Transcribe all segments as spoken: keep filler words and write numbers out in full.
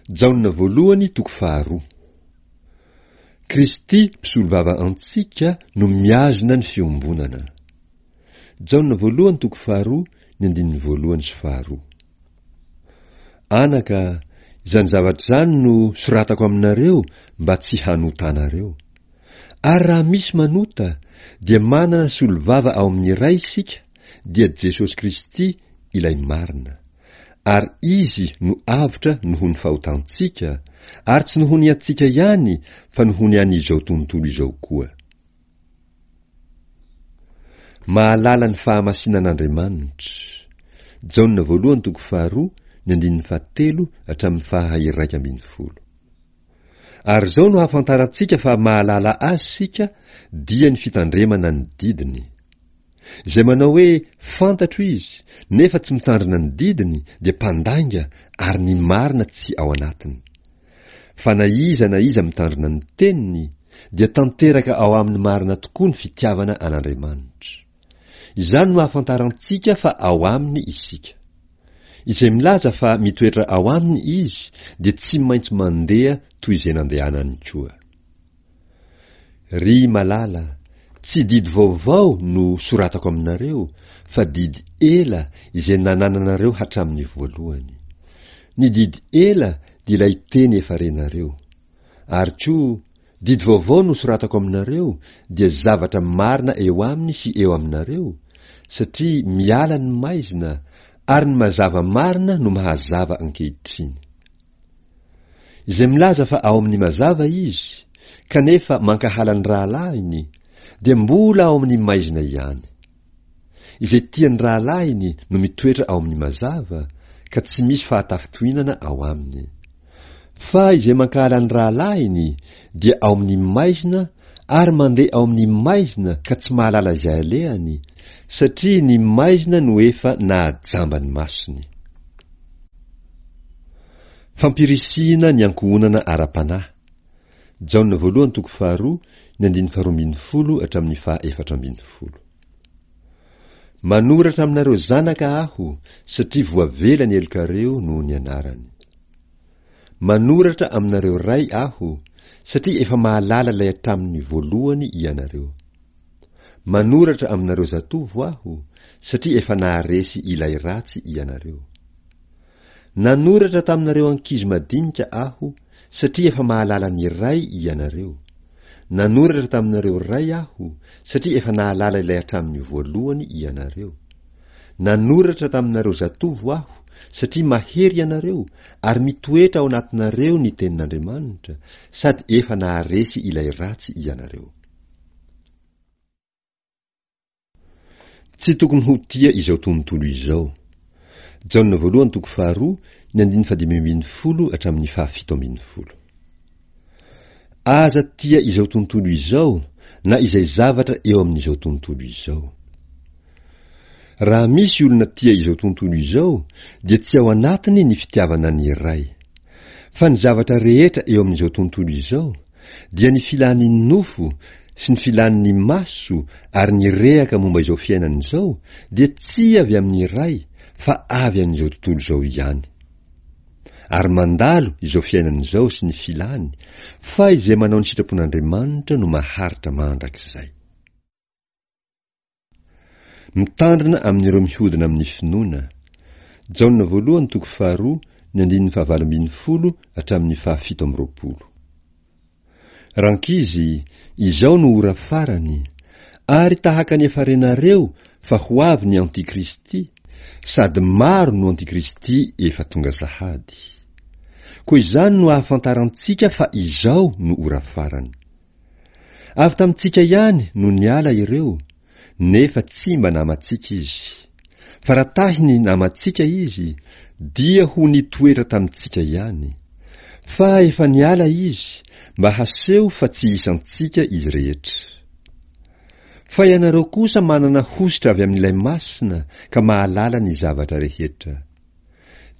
Jaona voalohany toko faharoa. Kristy mpisolovava antsika no mihazona ny fiombonana. Jaona voalohany toko faharoa ny andininy voalohany sy faharoa. Anaka, izany zavatra izany no soratako aminareo mba tsy hanotanareo. Ary raha misy manota dia manana solovava ao amin'ny Ray isika, dia Jesosy Kristy ilay marina. Ary Izy no avotra noho ny fahotantsika, ary tsy noho ny antsika ihany fa noho ny an'izao tontolo izao koa. Mahalala ny fahamasinan'Andriamanitra. Jaona voalohany toko faharoa ny andininy fahatelo hatramin'ny faha iraika ambin'ny folo. Ary izao no ahafantarantsika fa mahalala Azy isika, dia ny fitandremana ny didiny. Izay manao hoe fantatro Izy, nefa tsy mitandrina ny didiny dia mpandainga ary ny marina tsy ao anatiny. Fa na iza na iza mitandrina ny teniny, dia tanteraka ao aminy marina tokoa ny fitiavana an'Andriamanitra. Izany no ahafantarantsika fa ao aminy isika. Izay milaza fa mitoetra ao aminy izy dia tsy maintsy mandeha toy izay nandehanany koa. Ry malala, tsy didy vaovao no soratako aminareo fa didy ela izay nanananareo hatramin'ny voalohany. Ny didy ela dia ilay teny efa renareo. Ary koa, didy vaovao no soratako aminareo dia zavatra marina eo aminy sy eo aminareo, satria miala ny maizina ary ny mazava marina no mahazava ankehitriny. Izay milaza fa ao amin'ny mazava izy, kanefa mankahala ny rahalahiny, dia mbola ao amin'ny maizina ihany. Izay tia ny rahalahiny no mitoetra ao amin'ny mazava, ka tsy misy fahatafitohinana ao aminy. Fa izay mankahala ny rahalahiny dia ao amin'ny maizina ary mandeha ao amin'ny maizina ka tsy mahalala izay alehany, satria ny maizina no efa nahajamba ny masony. Fampirisihina ny ankohonana ara-panahy. Jaona voalohany toko faharoa ny andininy faharoa ambin'ny folo hatramin'ny faha efatra ambin'ny folo. Manoratra aminareo zanaka aho satria voavela ny helokareo noho ny anarany. Manoratra aminareo ray aho satria efa mahalala ilay hatramin'ny voalohany ianareo. Manoratra aminareo zatovo aho satria efa naharesy ilay ratsy ianareo. Nanoratra taminareo ankizy madinika aho satria efa mahalala ny Ray ianareo. Nanoratra taminareo ray aho satria efa nahalala ilay hatramin'ny voalohany ianareo. Nanoratra taminareo zatovo aho satria mahery ianareo ary mitoetra ao anatinareo ny tenin'Andriamanitra sady efa naharesy ilay ratsy ianareo. Tsy tokony ho tia izao tontolo izao. Jaona voalohany toko faharoa ny andininy fahadimy ambin'ny folo hatramin'ny fahafito ambin'ny folo. Aza tia izao tontolo izao na izay zavatra eo amin'izao tontolo izao. Raha misy olona tia izao tontolo izao dia tsy ao anatiny ny fitiavana ny Ray. Fa ny zavatra rehetra eo amin'izao tontolo izao dia ny filan'ny nofo sy ny filan'ny maso ary ny rehaka momba izao fiainana izao dia tsy avy amin'ny Ray fa avy amin'izao tontolo izao ihany. Ary mandalo izao fiainana izao sy ny filany, fa izay manao ny sitrapon'Andriamanitra no maharitra mandrakizay. Mitandrina amin'ireo mihodina amin'ny finoana. Jaona voalohany toko faharoa ny andininy fahavalo ambin'ny folo hatramin'ny fahafito amby roapolo. Rankizy, izao no ora farany, ary tahaka ny efa renareo fa ho avy ny antikristy, sady maro no antikristy efa tonga sahady. Koa izany no ahafantarantsika fa izao no ora farany. Avy tamintsika ihany no niala ireo, nefa tsy mba namantsika izy. Fa raha tahiny namantsika izy, dia ho nitoetra tamintsika ihany. Fa efa niala izy, mba haseho fa tsy isantsika izy rehetra. Fa ianareo kosa manana hosotra avy amin'ilay Masina ka mahalala ny zavatra rehetra.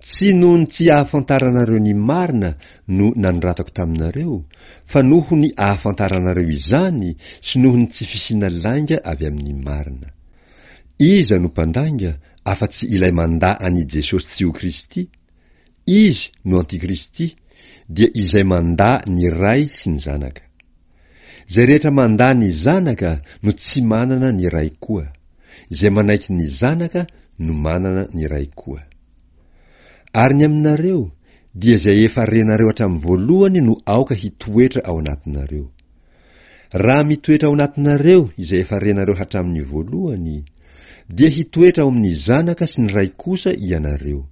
Tsy noho ny tsy ahafantaranareo ny marina no nanoratako taminareo, fa noho ny ahafantaranareo izany sy noho ny tsy fisiana lainga avy amin'ny marina. Iza no mpandainga afa-tsy ilay mandà an'i Jesosy tsy ho Kristy? Izy no antikristy, dia izay mandà ny Ray sy ny Zanaka. Izay rehetra mandà ny Zanaka no tsy manana ny Ray koa. Izay manaiky ny Zanaka no manana ny Ray koa. Ary ny aminareo, dia izay efa renareo hatramin'ny voalohany no aoka hitoetra ao anatinareo. Raha mitoetra ao anatinareo izay efa renareo hatramin'ny voalohany, dia hitoetra ao amin'ny Zanaka sy ny Ray kosa ianareo.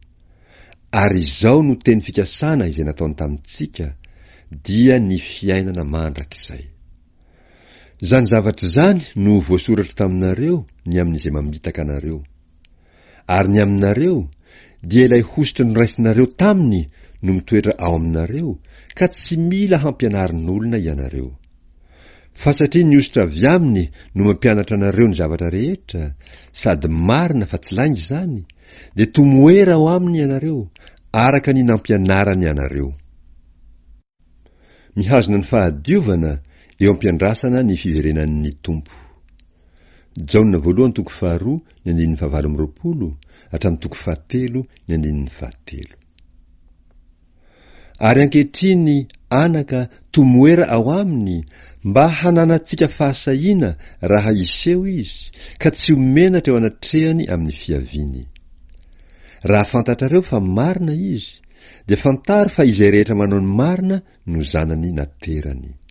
Ary izao no teny fikasana izay nataony tamintsika, dia ny fiainana mandrakizay. Izany zavatra izany no voasoratro taminareo ny amin'izay mamitaka anareo. Ary ny aminareo, dia ilay hosotra noraisinareo taminy no mitoetra ao aminareo, ka tsy mila hampianarin'olona ianareo. Fa satria ny hosotra avy aminy no mampianatra anareo ny zavatra rehetra, sady marina fa tsy lainga izany, dia tomoera ao aminy ianareo, araka ny nampianarany anareo. Mihazona ny fahadiovana eo am-piandrasana ny fiverenan'ny Tompo. Jaona voalohany toko faharoa ny andininy fahavalo amby roapolo hatramin'ny toko fahatelo ny andininy fahatelo. Ary ankehitriny, anaka, tomoera ao aminy, mba hananantsika fahasahiana raha hiseho izy, ka tsy ho menatra eo anatrehany amin'ny fiaviany. Raha fantatrareo fa marina izy, dia fantaro fa izay rehetra manao ny marina no zanany naterany.